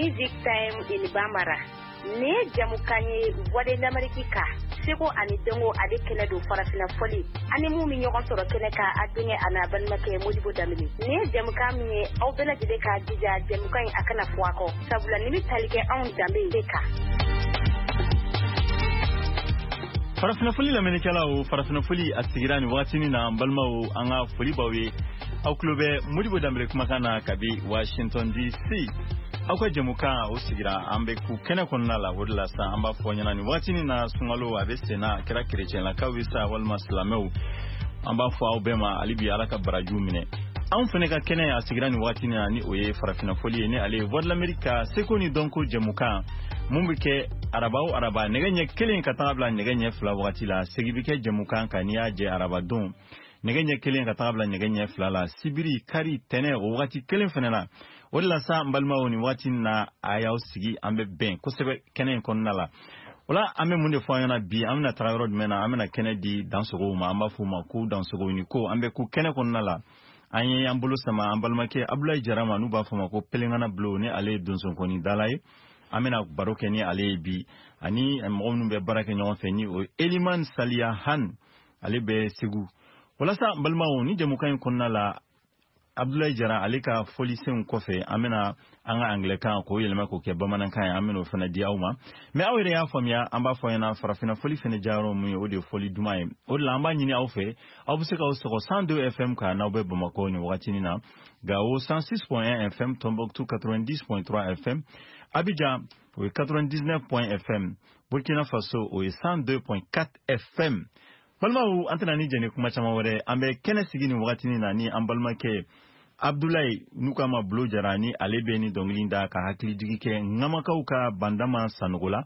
Music Time in Bambara. Nin ye jamukan ye Voix de l'Amérique kan, seko ani dɔnko ale kɛnɛ don farafinna fɔli ani mun bɛ ɲɔgɔn sɔrɔ kɛnɛ kan a denkɛ a n'a balimakɛ Modibo Danbele. Nin ye jamukan min ye aw bɛɛ lajɛlen k'a jija jamukan in a kana fɔ a kɔ, sabula nin bɛ tali kɛ anw danbe de kan. Farafinna foli lamɛnnikɛlaw, farafinna foli a sigira nin wagatinin na. N balimaw, an ka foli b'aw ye. Aw tulo bɛ Modibo Danbele kumakan na kabi Washington DC. Aw ka jɛmukan o sigira, an bɛ ku kɛnɛ kɔnɔna la. O de la sa an b'a fɔ ɲɛna nin wagatinin na, sunkalo a bɛ sen na, a kɛra kerecɛnlakaw ye sa walima silamɛw, an b'a fɔ aw bɛɛ ma hali bi Ala ka barajiw minɛ. Anw fana ka kɛnɛ a sigira nin wagatinin na, ni o ye farafinna foli ye, ni ale ye Voix de l'Amérique ka seko ni dɔnko jɛmukan mun bɛ kɛ araba o araba nɛgɛ ɲɛ 1 ka taga bila nɛgɛ ɲɛ 2 wagati la. Segin bɛ kɛ jɛmukan kan n'i y'a jɛ araba don nɛgɛ ɲɛ 1 ka taga bila nɛgɛ ɲɛ 2 la, sibiri, kari, tɛnɛ o wagati kelen fana na. O de la sa n balimaw, nin waati na a y'aw sigi, an bɛ bɛn kosɛbɛ kɛnɛ in kɔnɔna la. O la an bɛ mun de fɔ an ɲɛna bi? An bɛna taga yɔrɔ jumɛn na? An bɛna kɛnɛ di dansogow ma, an b'a fɔ u ma ko dansogow ni ko. An bɛ ku kɛnɛ kɔnɔna la, an ye an bolo sama an balimakɛ Abulayi Jara ma, n'u b'a fɔ ma ko Pelenkana Bulo, ni ale ye donsonkɔni dala ye. An bɛna baro kɛ ni ale ye bi, ani mɔgɔ minnu bɛ baara kɛ ɲɔgɔn fɛ, ni o ye Eliman Saliya Han, ale bɛ Segu. Walasa n balimaw, ni jɛmukan in kɔnɔna la, Abdulayi Jara ale ka fɔlisenw kɔfɛ, an bɛna an ka angilɛkan k'o yɛlɛma k'o kɛ bamanankan ye, an bɛna o fana di aw ma. Mais aw yɛrɛ y'a faamuya, an b'a fɔ ɲɛna farafinna fɔli fana diyayɔrɔ mun ye, o de ye fɔli duman ye. O de la an b'a ɲini aw fɛ, aw bɛ se k'aw sɔgɔ 102 FM kan n'aw bɛ Bamakɔ nin wagatinin na, Gawo 106.1 FM, Tombouctou 90.3 FM, Abidjan o ye 99 FM, Burkina Faso o ye 102.4 FM. Balimaw, an tɛna ni jɛni kuma caman wɛrɛ, an bɛ kɛnɛ sigi nin wagatinin na ni an balimakɛ Abdulayi, n'u k'a ma Bulo Jara, ni ale bɛ ni dɔnkili da ka hakilijigi kɛ ŋamakaw ka bandama sanogo la.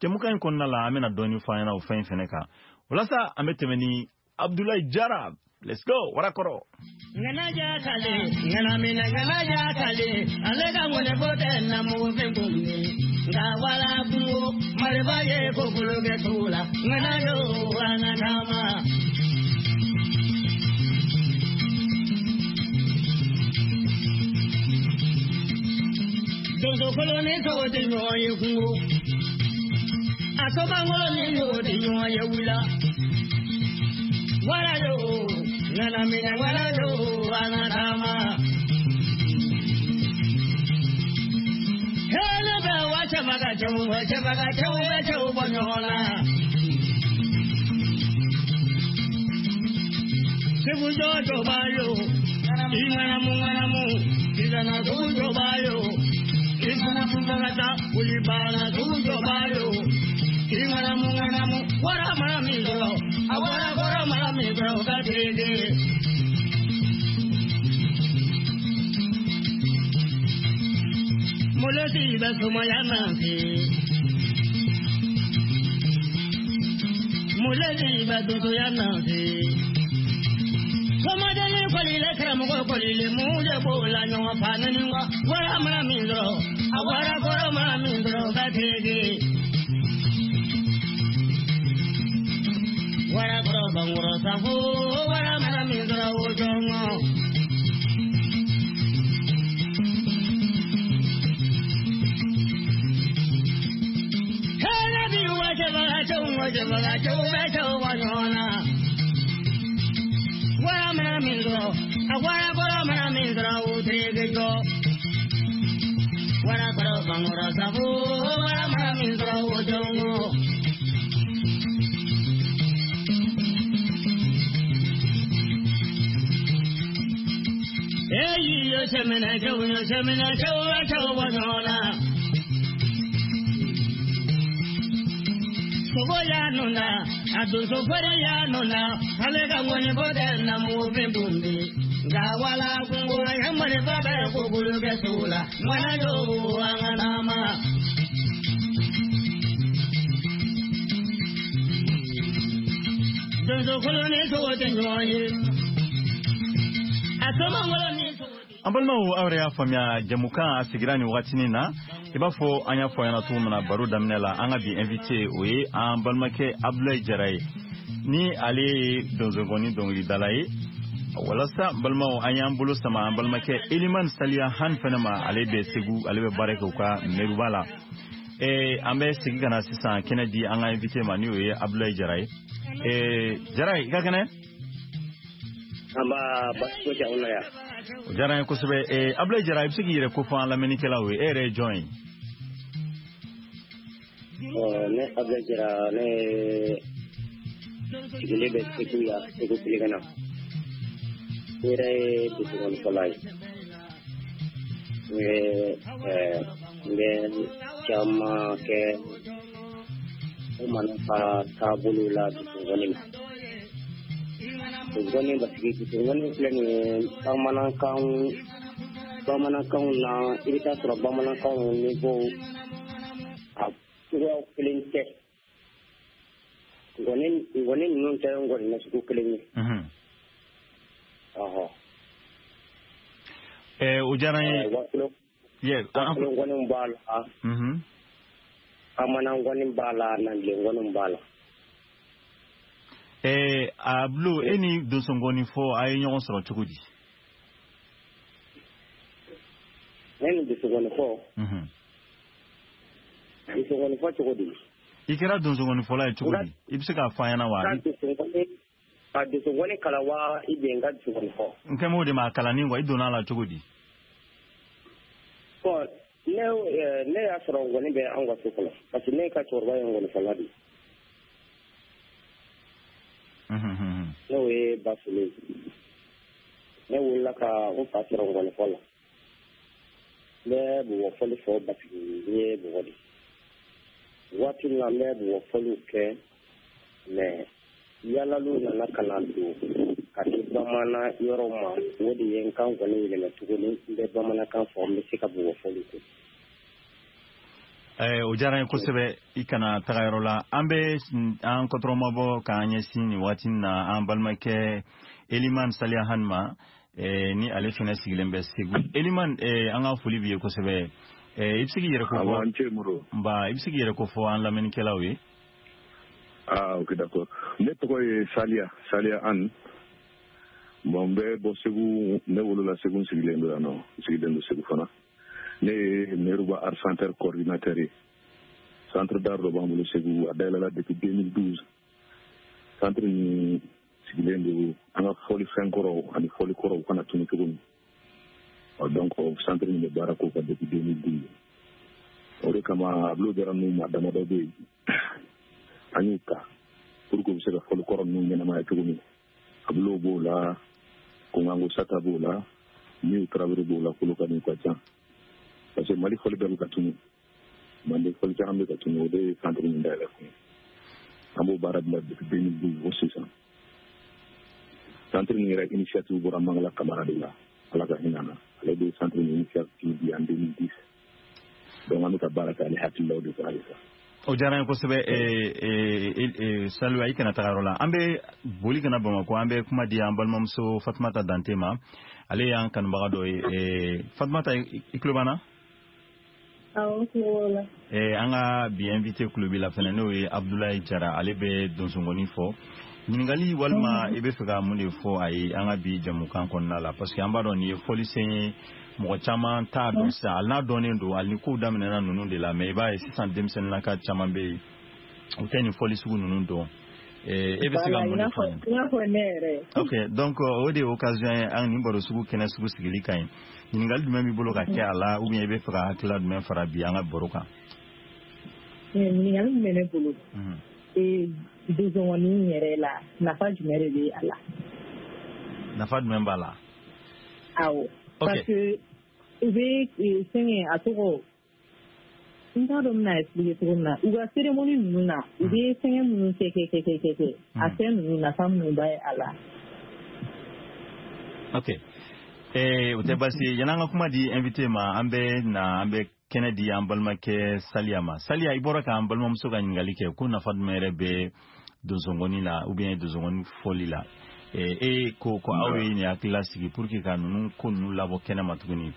Jɛmukan in kɔnɔna la, an bɛna dɔɔni fɔ an ɲɛna o fɛn in fɛnɛ kan. Walasa an bɛ tɛmɛ ni Abdulayi Jara, let's go warakɔrɔ. Ŋanaja kale, ŋanamina ŋanaja kale, ale ka ŋɔni bɔ tɛ na mugu fɛn kunni. Nka wala kungo, marifa ye ko bolo kɛ sugu la, ŋanajo an ka taama. Donso ni sogo tɛ ɲɔgɔn ye kungo, a sobankolo ni sogo tɛ ɲɔgɔn ye wula. Walajo, ŋanamina walajo, an ka taama. Hɛrɛ bɛ wa cɛbaga cɛw bɛ cɛbaga cɛw bɛ cɛw bɔ ɲɔgɔn na. Segu jɔjɔ b'a yo, i ŋanamu ŋanamu, i kana sugu jɔ b'a yo. I ŋanamu bagata, wuli banna sugu jɔ b'a yo. I ŋanamu ŋanamu, wara mara min sɔrɔ, a wara kɔrɔ mara min sɔrɔ, o ka tereke. Molesi bɛ sumaya na se. Molesi bɛ donsoya na se. Somadeni kɔlile karamɔgɔ kɔlile mun de b'o la ɲɔgɔn fa neni wa. Wara mara min sɔrɔ, a wara kɔrɔ mara min sɔrɔ, o ka tereke. Wara kɔrɔ bankɔrɔ safo, wara mara min sɔrɔ o jɔngɔ. Hɛrɛ bi wa cɛbaga cɛw wa cɛbaga cɛw bɛ cɛw bɔ ɲɔgɔn na. Wara mara min sɔrɔ, a wara kɔrɔ mara min sɔrɔ, o tereke jɔ. Wara kɔrɔ bankɔrɔ safo, wara mara min sɔrɔ o jɔngɔ. Eyi yo sɛmɛnɛ cɛw yo sɛmɛnɛ cɛw bɛ cɛw bɔ ɲɔgɔn na. Sogo y'a nɔ na, a donso fɛrɛ y'a nɔ na, ale ka ŋɔni bɔ tɛ na mugu fɛn kunbi. Nka wala kungo ye marifa bɛ ko bolo kɛ sugu la, ŋanajo an ka taama. Donso kolo ni sogo tɛ ɲɔgɔn ye. A somankolo ni sogo tɛ. An balimaw, aw yɛrɛ y'a faamuya, jɛmukan a sigira nin wagatinin na. I b'a fɔ an y'a fɔ ɲɛna cogo min na baro daminɛ la, an ka bi invité o ye an balimakɛ Abdulayi Jara ye, ni ale ye donsonkɔni dɔnkilidala ye. Walasa balimaw, an y'an bolo sama an balimakɛ Eliman Saliya Han fɛnɛ ma. Ale bɛ Segu, ale bɛ baara kɛ u ka Meruba la. An bɛ segin ka na sisan kɛnɛ di an ka invité ma, ni o ye Abdoulaye Jara ye. Jara, i ka kɛnɛ? An b'a basi foyi tɛ anw na yan. O diyara n ye kosɛbɛ. Abdoulaye Jara, i bɛ se k'i yɛrɛ kofɔ an lamɛnnikɛlaw ye? E yɛrɛ ye jɔn ye? Ne Abdoulaye Jara, ne sigilen bɛ Segu yan, Segu Bilikɛnɛ. Ne yɛrɛ ye donsokɔnifɔla ye. N bɛ caman kɛ bamanan ka taabolo la donsokɔni na. Donsokɔni, parce que donsokɔni filɛ nin ye, bamanankanw na, i bɛ taa sɔrɔ bamanankanw niveau a cogoyaw kelen tɛ. Ngɔni ninnu tɛ ngɔni nasugu kelen ye. Ɔhɔ. O diyara n ye. Wasolon ngɔniw b'a la. Bamanan ngɔni b'a la, Nangilen ngɔniw b'a la. Ablo, e ni donsongɔni fɔ, a ye ɲɔgɔn sɔrɔ cogo di? Ne ni donsongɔni fɔ? Donsongɔni fɔ cogo di? I kɛra donsongɔni fɔla ye cogo di? I bɛ se k'a fɔ an ɲɛna wa? Ka donsongɔni kalan wa, i bɛ n ka donsongɔni fɔ? N kɛ m'o de ma, a kalanni quoi, i donna a la cogo di? Bon, ne y'a sɔrɔ ngɔni bɛ anw ka so kɔnɔ, parce que ne ka cɛkɔrɔba ye ngɔnifɔla de ye. N'o ye Basule ye. Ne wulila ka n fa sɔrɔ ngɔnifɔ la. N bɛ bɔgɔfɔli fɔ parce que n ye bɔgɔ de. Waati min na n bɛ bɔgɔfɔliw kɛ, mais yalaliw nana ka na don ka di bamanan yɔrɔw ma, o de ye n ka ngɔni yɛlɛmɛ tuguni, n bɛ bamanankan fɔ, n bɛ se ka bɔgɔfɔliw kɛ. O diyara n ye kosɛbɛ. I kana taga yɔrɔ la. An bɛ an kɔtɔrɔmabɔ k'an ɲɛsin nin waati na an balimakɛ Eliman Saliya Han ma, ni ale fɛnɛ sigilen bɛ Segu. Eliman, an ka foli b'i ye kosɛbɛ. I bɛ se k'i yɛrɛ kofɔ? Nba, i bɛ se k'i yɛrɛ kofɔ an lamɛnnikɛlaw ye? Ah, ok, d'accord. Ne tɔgɔ ye Saliya An. Bon, n bɛ bɔ Segu, ne wolola Segu, n sigilen don yan nɔ, n sigilen don Segu fana. Ne ye Meruba Art Center coordinateur ye. Centre d'art dɔ b'an bolo Segu, a dayɛlɛla depuis 2012. Centre nin sigilen don an ka fɔlifɛn kɔrɔw ani fɔli kɔrɔw kana tunu cogo min. Donc centre nin bɛ baara k'o kan depuis 2012. O de kama Ablo Jara ninnu maa damadɔ bɛ yen, an y'u ta pour que u bɛ se ka fɔli kɔrɔ ninnu ɲɛnamaya cogo min. Ablo b'o la, Kongango Sata b'o la, Miw Tarawele b'o la, Kolokani ka ca. Parce que Mali fɔli bɛɛ bɛ ka tunu, Mande fɔli caman bɛ ka tunu, o de ye centre min dayɛlɛ kun ye. An b'o baara bila depuis 2012 fo sisan. Centre min yɛrɛ initiative bɔra Mangala Kamara de la, Ala ka hinɛ na. Ale de ye centre min initiative di en 2010. Donc an bɛ ka baara kɛ ale hakililaw de fɛ halisa. O diyara n ye kosɛbɛ. Saliya, i kana taga yɔrɔ la. An bɛ boli ka na Bamakɔ, an bɛ kuma di an balimamuso Fatumata Dante ma. Ale y'an kanubaga dɔ ye. Fatumata, i tulo b'an na? Awɔ, n tulo b'aw la. An ka bi invité tulo b'i la fɛnɛ, n'o ye Abdoulaye Jara, ale bɛ donsongɔni fɔ. Ɲininkali walima i bɛ fɛ ka mun de fɔ a ye an ka bi jamukan kɔnɔna la? Parce que an b'a dɔn nin ye fɔlisen ye, mɔgɔ caman t'a dɔn sisan, hali n'a dɔnnen don, hali ni kow daminɛna ninnu de la, mais i b'a ye sisan denmisɛnninnaka caman bɛ yen, u tɛ nin fɔli sugu ninnu dɔn. E bɛ se ka mun de fɔ an ye? I n'a fɔ ne yɛrɛ. Ok, donc o de ye occasion ye an nin baro sugu kɛnɛ sugu sigili ka ɲi. Ɲininkali jumɛn b'i bolo ka kɛ a la, ou bien i bɛ fɛ ka hakilila jumɛn fara bi an ka baro kan? Ɲininkali min bɛ ne bolo, donsongɔni yɛrɛ la, nafa jumɛn de bɛ a la? Nafa jumɛn b'a la? Awɔ. Parce que u bɛ fɛngɛ, a tɔgɔ, n t'a dɔn n bɛna expliquer cogo min na, u ka cérémonie ninnu na, u bɛ fɛngɛ minnu kɛ kɛ kɛ kɛ kɛ, a fɛn ninnu nafa minnu b'a a la. Ok, o tɛ baasi ye. Yan'an ka kuma di invité ma, an bɛ na an bɛ kɛnɛ di an balimakɛ Saliya ma. Saliya, i bɔra k'an balimamuso ka ɲininkali kɛ ko nafa jumɛn yɛrɛ bɛ donsongɔni la ou bien donsongɔni fɔli la. E ko ko aw ye nin hakilila sigi pour que ka ninnu ko ninnu labɔ kɛnɛ ma tuguni.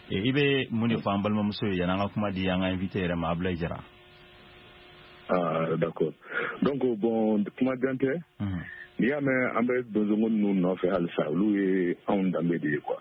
I bɛ mun de fɔ an balimamuso ye yan'an ka kuma di an ka invité yɛrɛ ma, Abdoulaye Jara? Ah, d'accord. Donc bon, kuma jan tɛ. N'i y'a mɛn an bɛ donsonkɔni ninnu nɔfɛ halisa, olu ye anw danbe de ye quoi.